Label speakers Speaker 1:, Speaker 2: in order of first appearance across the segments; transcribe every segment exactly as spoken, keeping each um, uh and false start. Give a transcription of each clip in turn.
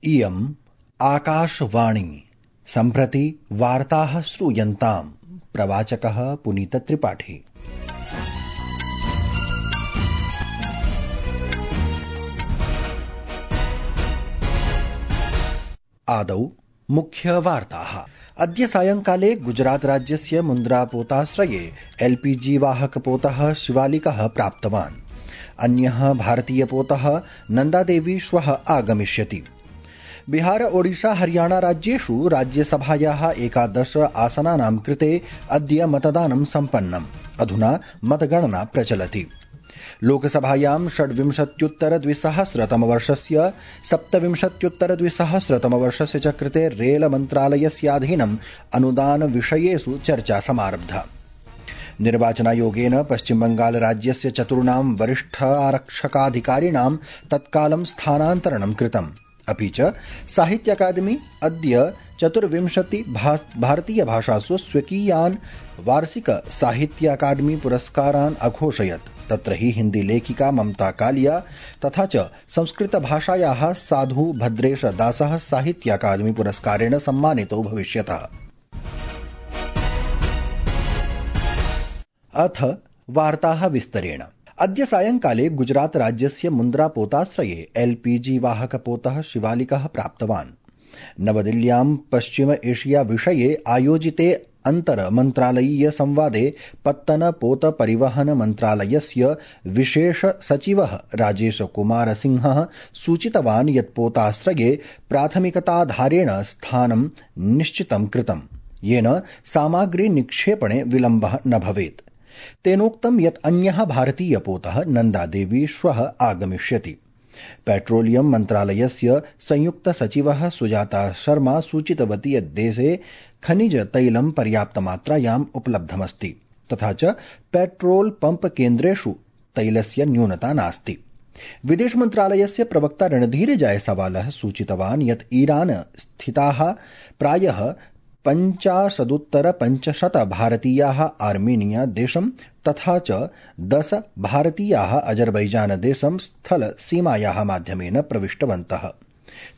Speaker 1: इयम् आकाशवाणी। सम्प्रति वार्ताः श्रूयन्ताम्। प्रवाचकः पुनीतत्रिपाठी। आदौ मुख्यवार्ताः। अद्य सायंकाले गुजरात राज्यस्य मुन्द्रापोताश्रये एलपीजी वाहकपोतः शिवालिकः प्राप्तवान्। अन्यः भारतीयपोतः नन्दादेवी श्वः आगमिष्यति। बिहार ओडिशा हरियाणा राज्येषु राज्यसभायाः एकादश आसनानां कृते अद्य मतदानं सम्पन्नम्। अधुना मतगणना प्रचलति। लोकसभायां षड्विंशत्युत्तर द्विसहस्रतमवर्षस्य सप्तविंशत्युत्तरद्विसहस्रतमवर्षस्य च कृते रेल मन्त्रालयस्याधीनम् अनुदान विषयेषु चर्चा समारब्धा। निर्वाचनायोगेन पश्चिमबंगाल राज्यस्य चतुर्णां वरिष्ठ आरक्षकाधिकारिणां तत्कालं स्थानान्तरणं कृतम्। अपि च साहित्य अकादमी अद्य चतुर्विंशति भारतीय भाषासु स्वकीयान् वार्षिक साहित्य अकादमी पुरस्कारान् अघोषयत्। तत्र हि हिन्दी लेखिका ममता कालिया तथा च संस्कृत भाषायाः साधु भद्रेश दासः साहित्य अकादमी पुरस्कारेण सम्मानितो भविष्यतः। अथ वार्ताः विस्तरेण। अद्य सायंकाले गुजरात राज्यस्य मुन्द्रापोताश्रये एलपीजी वाहकपोतः शिवालिकः प्राप्तवान्। नवदिल्ल्यां पश्चिम एशिया विषये आयोजिते अन्तर मन्त्रालयीय संवादे पत्तन पोत परिवहन मन्त्रालयस्य विशेष सचिवः राजेश कुमार सिंहः सूचितवान् यत् पोताश्रये प्राथमिकताधारेण स्थानं निश्चितं कृतम्, येन सामग्री निक्षेपणे विलम्बः न भवेत्। तेनोक्तं यत् अन्यः भारतीयपोतः नन्दादेवी श्वः आगमिष्यति। पेट्रोलियम मन्त्रालयस्य संयुक्त सचिवः सुजाता शर्मा सूचितवती यत् देशे खनिज तैलं पर्याप्तमात्रायाम् उपलब्धमस्ति तथा च पेट्रोल पंप केन्द्रेषु तैलस्य न्यूनता नास्ति। विदेश मन्त्रालयस्य प्रवक्ता रणधीर जायसवालः सूचितवान् यत् ईरान स्थिताः प्रायः पञ्चाशदुत्तर पञ्चशत भारतीयाः आर्मेनिया देशं तथा च दश भारतीयाः अजरबैजान देशं स्थल सीमायाः माध्यमेन प्रविष्टवन्तः।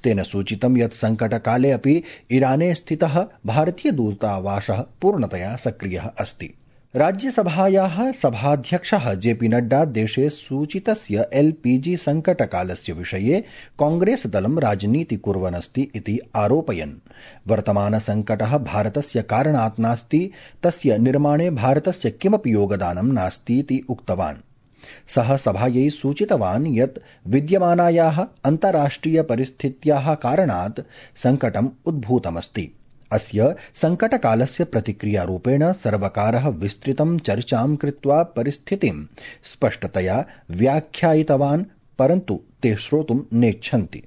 Speaker 1: तेन सूचितं यत् संकटकाले अपि ईराने स्थितः भारतीयदूतावासः पूर्णतया सक्रियः अस्ति। राज्यसभायाः सभाध्यक्षः जेपी नड्डा देशे सूचितस्य एलपीजी संकटकालस्य विषये कांग्रेस दलं राजनीति कुर्वन्नस्ति इति आरोपयन्। वर्तमानसंकटः भारतस्य कारणात् नास्ति, तस्य निर्माणे भारतस्य किमपि योगदानं नास्ति इति उक्तवान्। सः सभायै सूचितवान् यत् विद्यमानायाः अन्ताराष्ट्रिय परिस्थित्याः कारणात् संकटम् उद्भूतमस्ति। अस्य संकटकालस्य प्रतिक्रियारूपेण सर्वकारः विस्तृतं चर्चां कृत्वा परिस्थितिं स्पष्टतया व्याख्यायितवान्, परन्तु ते श्रोतुं नेच्छन्ति।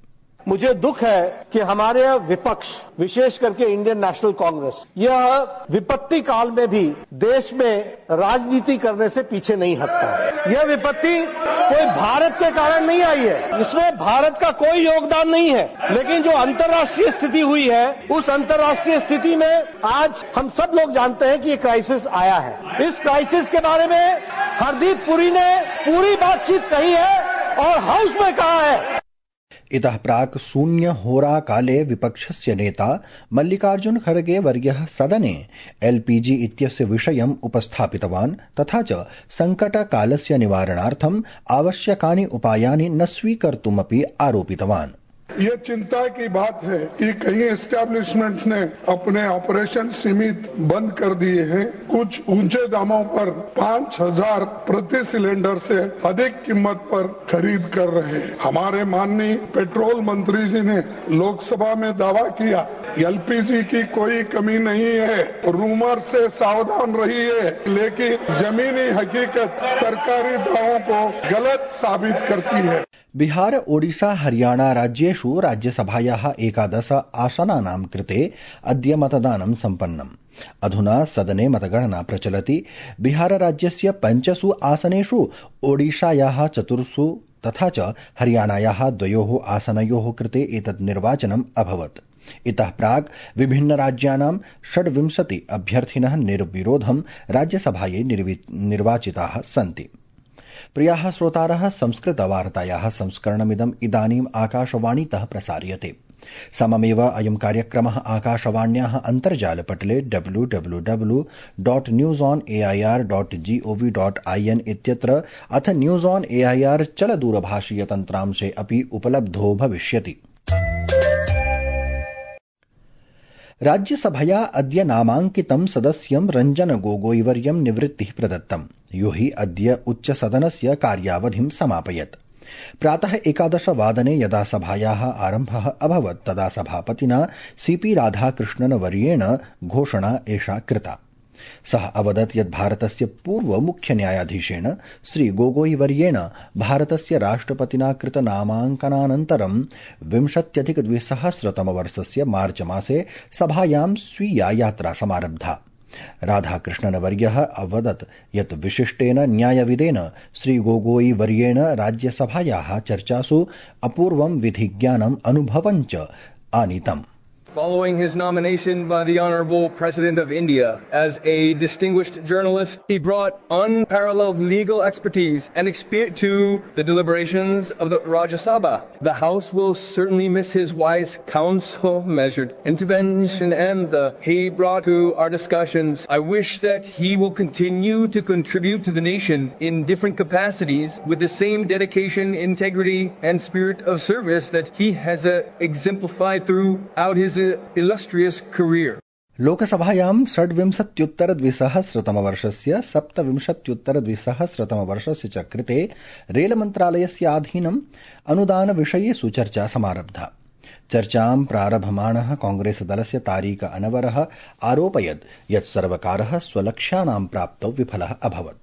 Speaker 2: मुझे दुख है कि हमारे विपक्ष, विशेष करके इंडियन नेशनल कांग्रेस, यह विपत्ति काल में भी देश में राजनीति करने से पीछे नहीं हटता है। यह विपत्ति कोई भारत के कारण नहीं आई है, इसमें भारत का कोई योगदान नहीं है, लेकिन जो अंतर्राष्ट्रीय स्थिति हुई है उस अंतर्राष्ट्रीय स्थिति में आज हम सब लोग जानते हैं कि ये क्राइसिस आया है। इस क्राइसिस के बारे में हरदीप पुरी ने पूरी बातचीत कही है और हाउस में कहा है।
Speaker 1: इतः प्राक् शून्य होरा काले विपक्षस्य नेता मल्लिकार्जुन खड़गे वर्यः सदने एलपीजी इत्यस्य विषयम् उपस्थापितवान् तथा च संकटकालस्य निवारणार्थम् आवश्यकानि उपायानि न स्वीकर्तुमपि आरोपितवान्।
Speaker 3: ये चिंता की बात है कि कई एस्टैब्लिशमेंट ने अपने ऑपरेशन सीमित बंद कर दिए हैं। कुछ ऊंचे दामों पर पाँच हजार प्रति सिलेंडर से अधिक कीमत पर खरीद कर रहे हैं। हमारे माननीय पेट्रोल मंत्री जी ने लोकसभा में दावा किया एलपीजी की कोई कमी नहीं है, रूमर से सावधान रहिए, लेकिन जमीनी हकीकत सरकारी दावों को गलत साबित करती है।
Speaker 1: बिहार ओडिशा हरियाणा राज्येषु राज्यसभायाः एकादश आसनानां कृते अद्य मतदानं सम्पन्नम्। अधुना सदने मतगणना प्रचलति। बिहार राज्यस्य पञ्चसु आसनेषु ओडिशायाः चतुर्षु तथा च हरियाणायाः द्वयोः आसनयोः कृते एतत् निर्वाचनम् अभवत्। इतः प्राक् विभिन्न राज्यानां षड्विंशति अभ्यर्थिनः निर्विरोधं राज्यसभायै निर्वाचिताः सन्ति। प्रियाः श्रोतारः, संस्कृतवार्तायाः संस्करणमिदम् इदानीम् आकाशवाणीतः प्रसार्यते। सममेव अयं कार्यक्रमः आकाशवाण्याः अन्तर्जालपटले W W W dot news on AIR dot GOV dot IN इत्यत्र अथ न्यूज ऑन एआईआर चलदूरभाषीय तन्त्रांशे अपि उपलब्धो भविष्यति। राज्यसभया अद्य नामाङ्कितं सदस्यं रञ्जन गोगोईवर्यं निवृत्तिः प्रदत्तम्, यो हि अद्य उच्चसदनस्य कार्यावधिं समापयत्। प्रातः एकादश वादने यदा सभायाः आरम्भः अभवत् तदा सभापतिना सीपी राधाकृष्णन वर्येण घोषणा एषा कृता। सः अवदत् यत् भारतस्य पूर्व मुख्य न्यायाधीशेन श्री गोगोई वर्येण भारतस्य राष्ट्रपतिना कृत नामाङ्कनानन्तरं विंशत्यधिक द्विसहस्रतमवर्षस्य मार्च मासे सभायां स्वीया यात्रा समारब्धा। राधाकृष्णनवर्यः अवदत् यत् विशिष्टेन न्यायविदेन श्री गोगोई वर्येण राज्यसभायाः चर्चासु अपूर्वं विधिज्ञानम् अनुभवं च आनीतम्।
Speaker 4: Following his nomination by the Honorable President of India as a distinguished journalist, he brought unparalleled legal expertise and experience to the deliberations of the Rajya Sabha. The House will certainly miss his wise counsel, measured intervention, and the he brought to our discussions. I wish that he will continue to contribute to the nation in different capacities with the same dedication, integrity, and spirit of service that he has uh, exemplified throughout his illustrious career.
Speaker 1: लोकसभायां षड्विंशत्युत्तर द्विसहस्रतमवर्षस्य सप्तविंशत्युत्तर द्विसहस्रतमवर्षस्य च कृते रेलमन्त्रालयस्य अधीनम् अनुदानविषयेषु चर्चा समारब्धा। चर्चां प्रारभमाणः कांग्रेसदलस्य तारीक अनवरः आरोपयत् यत् सर्वकारः स्वलक्ष्यानां प्राप्तौ विफलः अभवत्।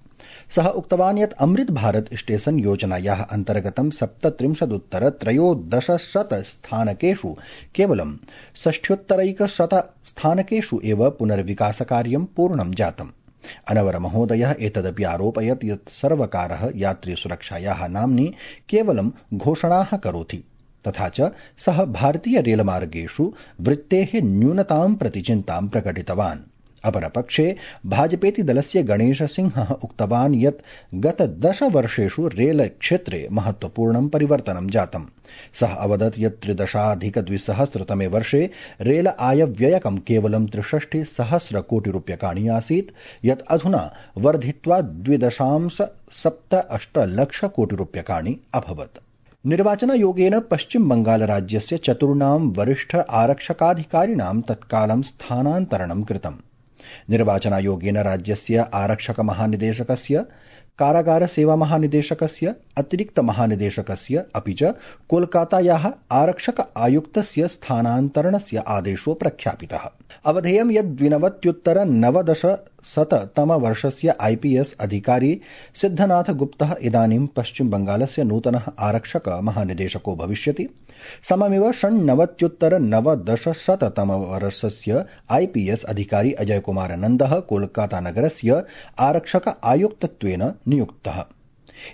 Speaker 1: सः उक्तवान् यत् अमृत भारत स्टेशन योजनायाः अन्तर्गतं सप्तत्रिंशदुत्तर त्रयोदशशत स्थानकेषु केवलं षष्ठ्योत्तरैकशत स्थानकेषु एव पुनर्विकासकार्यं पूर्णं जातम्। अनवर महोदयः एतदपि आरोपयत् यत् सर्वकारः यात्रिसुरक्षायाः नाम्नि केवलं घोषणाः करोति, तथा च सः भारतीय रेलमार्गेषु वृत्तेः न्यूनतां प्रति चिन्तां प्रकटितवान्। अपरपक्षे भाजपेति दलस्य गणेशसिंहः उक्तवान् यत् गत दश वर्षेषु रेल क्षेत्रे महत्वपूर्णं परिवर्तनं जातम्। सः अवदत् यत् त्रिदशाधिकद्विसहस्रतमे वर्षे रेल आयव्ययकं केवलं त्रिषष्टि सहस्र कोटि रूप्यकाणि आसीत्, यत् अधुना वर्धित्वा द्विदशांश सप्त अष्ट लक्ष कोटि रूप्यकाणि अभवत्। निर्वाचनायोगेन पश्चिम बंगाल राज्यस्य चतुर्णां वरिष्ठ आरक्षकाधिकारिणां तत्कालं स्थानान्तरणं कृतम्। निर्वाचनायोगेन राज्यस्य आरक्षक महानिदेशकस्य, कारागार सेवा महानिदेशकस्य, अतिरिक्त महानिदेशकस्य अपि च कोलकातायाः आरक्षक आयुक्तस्य स्थानान्तरणस्य आदेशो प्रख्यापितः। अवधेयं यत् द्विनवत्युत्तर नवदशशततमवर्षस्य आईपीएस अधिकारी सिद्धनाथ गुप्तः इदानीं पश्चिम बंगालस्य नूतनः आरक्षक महानिदेशको भविष्यति। सममेव षण्णवत्युत्तर नवदशशततमवर्षस्य आईपीएस अधिकारी अजय कुमार नन्दः कोलकाता नगरस्य आरक्षक आयुक्तत्वेन नियुक्तः।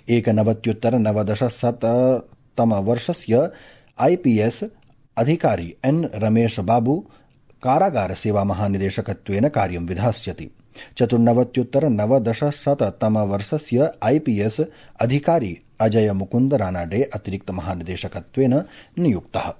Speaker 1: एकनवत्युत्तर नवदशशततमवर्षस्य आईपीएस अधिकारी एन रमेश बाबू कारागार सेवा महानिदेशकत्वेन कार्यं विधास्यति। चतुर्नवत्युत्तर नवदशशततमवर्षस्य आईपीएस अधिकारी अजय मुकुंद रानाडे अतिरिक्त महानिदेशकत्वेन नियुक्तः।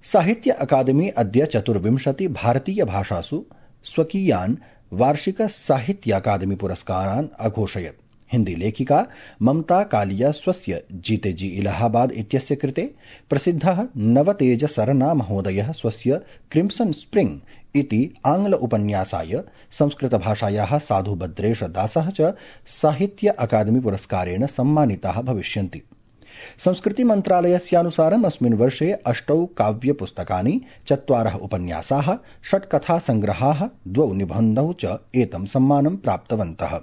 Speaker 1: साहित्य अकादमी अद्य चतुर्विंशति भारतीय भाषासु स्वकीयान् वार्षिक साहित्य अकादमी पुरस्कारान् अघोषयत्। हिंदी लेखिका ममता कालिया स्वस्य जीते जी इलाहाबाद इत्यस्य कृते, प्रसिद्धः नवतेज सरना महोदयः स्वस्य क्रिम्सन स्प्रिंग इति आंग्ल उपन्यासाय, संस्कृतभाषायाः साधु भद्रेश दासः च साहित्य अकादमी पुरस्कारेण सम्मानिताः भविष्यन्ति। संस्कृति मन्त्रालयस्यानुसारम् अस्मिन् वर्षे अष्टौ काव्यपुस्तकानि, चत्वारः उपन्यासाः, षट् कथासङ्ग्रहाः, द्वौ निबन्धौ च एतं सम्मानं प्राप्तवन्तः।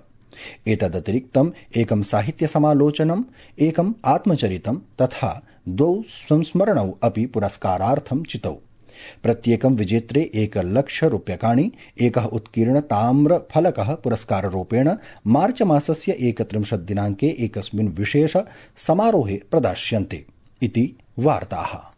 Speaker 1: एतदतिरिक्तम् एकं साहित्यसमालोचनम्, एकम् आत्मचरितं तथा द्वौ संस्मरणौ अपि पुरस्कारार्थं चितौ। प्रत्येकं विजेत्रे एकलक्ष रूप्यकाणि, एकः उत्कीर्ण ताम्रफलकः पुरस्काररूपेण मार्च मासस्य एकत्रिंशत् दिनाङ्के एकस्मिन् विशेष समारोहे प्रदास्यन्ते इति वार्ताः।